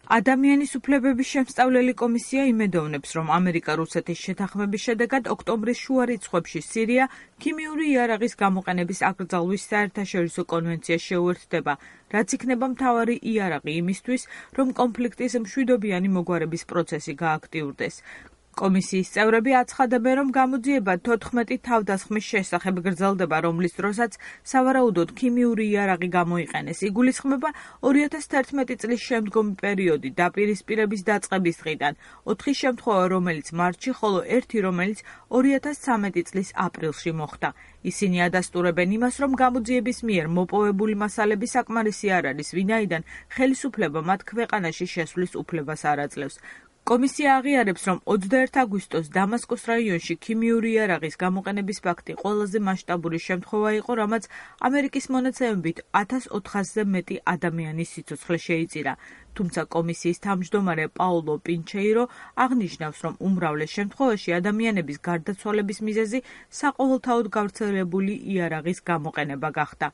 ადამიანის უფლებების შემსწავლელი კომისია იმედოვნებს, რომ ამერიკა-რუსეთის შეთანხმების შედეგად ოქტომბრის შუა რიცხვებში სირია ქიმიური იარაღის გამოყენების აკრძალვის საერთაშორისო კონვენციას შეუერთდება, რაც იქნება მთავარი იარაღი იმისთვის, რომ კონფლიქტის მშვიდობიანი მოგვარების პროცესი გააქტიურდეს. კომისიის წევრები აცხადებენ, რომ გამოძიება 14 თავდასხმის შესახებ გრძელდება, რომლის დროსაც სავარაუდოდ ქიმიური იარაღი გამოიყენეს. იგულისხმება 2011 წლის შემდგომი პერიოდი დაპირისპირების დაწყების დღიდან, 4 შემთხვევა, რომელიც მარტში, ხოლო 1, რომელიც 2013 წლის აპრილში მოხდა. ისინი ადასტურებენ იმას, რომ გამოძიების მიერ მოპოვებული მასალები საკმარისი არ არის, ვინაიდან ხელისუფლება მათ ქვეყანაში შესვლის უფლებას არ აძლევს. კომისია აღიარებს, რომ 21 აგვისტოს დამასკოს რაიონში ქიმიური იარაღის გამოყენების ფაქტი ყველაზე მასშტაბური შემთხვევა იყო, რამაც ამერიკის მონაცემებით 1400-ზე მეტი ადამიანის სიცოცხლე შეიწირა. თუმცა კომისიის თავმჯდომარე პაულო პინჩეირო აღნიშნავს, რომ უმრავლეს შემთხვევაში ადამიანების გარდაცვალების მიზეზი საყოველთაოდ გავრცელებული იარაღის გამოყენება გახდა.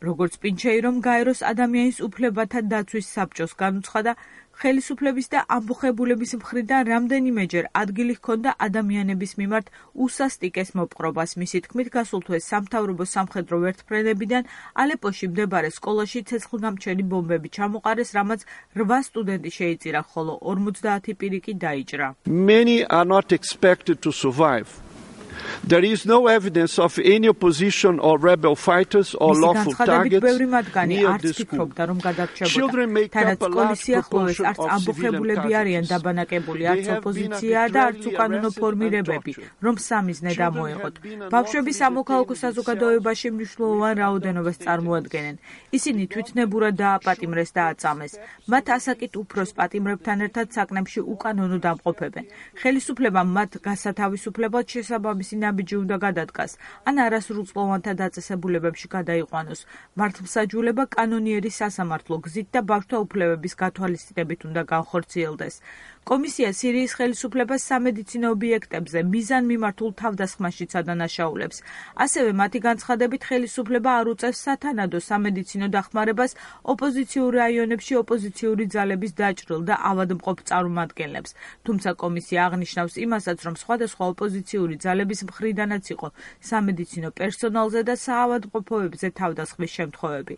როგორც პინჩეირომ გაეროს ადამიანის უფლებათა დაცვის საბჭოს განუცხადა, ხელისუფლების და ამბოხებულების მხრიდან რამდენიმეჯერ ადგილი ჰქონდა ადამიანების მიმართ უსასტიკეს მოპყრობას. მისი თქმით, გასულ თვეს სამთავრობო სამხედრო ვერტმფრენებიდან ალეპოში მდებარე სკოლაში ცეცხლგამჩენი ბომბები ჩამოყარეს, რამაც 8 სტუდენტი შეიწირა, ხოლო 50 პირი კი დაიჭრა. Many are not expected to survive. There is no evidence of any opposition or rebel fighters or lawful targets near this school. Children make up a large proportion of civilian targets. დაბანაკებული არც ოპოზიცია და არც უკანონო ფორმირებები, რომ სამიზნე დამოეღოთ. ბავშვების სამოქალაქო საზოგადოებაში მნიშვნელოვან რაოდენობას წარმოადგენენ. ისინი თვითნებურად დააპატიმრეს და აწამეს. მათ ასაკით უფროს პატიმრებთან ერთად საკნებში უკანონო დამყოფებენ. ხელისუფლებამ მათ გასათავისუფლებლად შესაბამისი ნაბიჯი უნდა გადადგას, ან არასრულწლოვანთა დაწესებულებებში გადაიყვანოს. მართლმსაჯულება კანონიერი სასამართლო გზით და ბავშვთა უფლებების გათვალისწინებით უნდა განხორციელდეს. კომისია სირიის ხელისუფლებას სამედიცინო ობიექტებზე მიზანმიმართულ თავდასხმაშიც ადანაშაულებს. ასევე მათი განცხადებით ხელისუფლება არ უწევს სათანადო სამედიცინო დახმარებას ოპოზიციურ რაიონებში ოპოზიციური ძალების დაჭრილ და ავადმყოფ წარმომადგენლებს. თუმცა კომისია აღნიშნავს იმასაც, რომ სხვადასხვა ოპოზიციური ძალების მხრიდანაც იყო სამედიცინო პერსონალზე და საავადმყოფოებზე თავდასხმის შემთხვევები.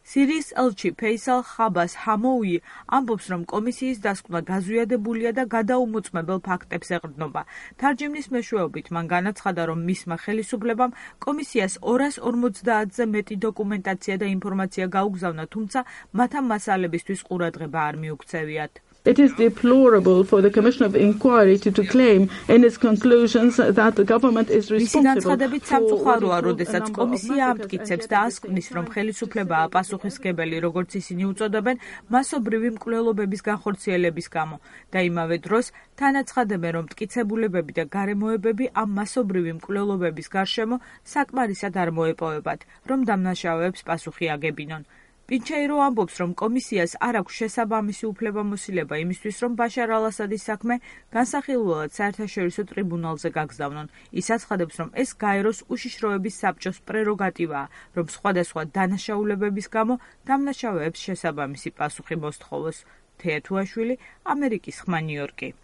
სირიის ელჩი ფეისალ ხაბას ჰამოუი ამბობს, რომ კომისიის დასკვნა გაზვიადებულია და გადაუმოწმებელ ფაქტებს ეყრდნობა. თარჯიმნის მეშვეობით მან განაცხადა, რომ მისმა ხელისუფლებამ კომისიას 250-ზე მეტი დოკუმენტაცია და ინფორმაცია გაუგზავნა, თუმცა მათ ამ მასალებისთვის ყურადღება არ მიუქცევიათ. It is deplorable for the Commission of Inquiry to claim in its conclusions that the government is responsible სამწუხაროა, როდესაც კომისია ამტკიცებს და ასკვნის, რომ ხელისუფლებაა პასუხისმგებელი, როგორც ისინი უწოდებენ, მასობრივი მკვლელობების განხორციელების გამო და იმავე დროს თანაცხადებენ, რომ მტკიცებულებები და გარემოებები ამ მასობრივი მკვლელობების გარშემო საკმარისად არ მოეპოვებათ, რომ დამნაშავეებს პასუხი აგებინონ. პინჩეირო ამბობს, რომ კომისიას არ აქვს შესაბამისი უფლებამოსილება იმისთვის, რომ ბაშარ ალ-ასადის საქმე განსახილველად საერთაშორისო ტრიბუნალზე გაგზავნონ. ის აცხადებს, რომ ეს გაეროს უშიშროების საბჭოს პრეროგატივაა, რომ სხვადასხვა დანაშაულებების გამო დამნაშავეებს შესაბამისი პასუხი მოსთხოვოს. თეა თუაშვილი, ამერიკის ხმა, ნიუ-იორკი.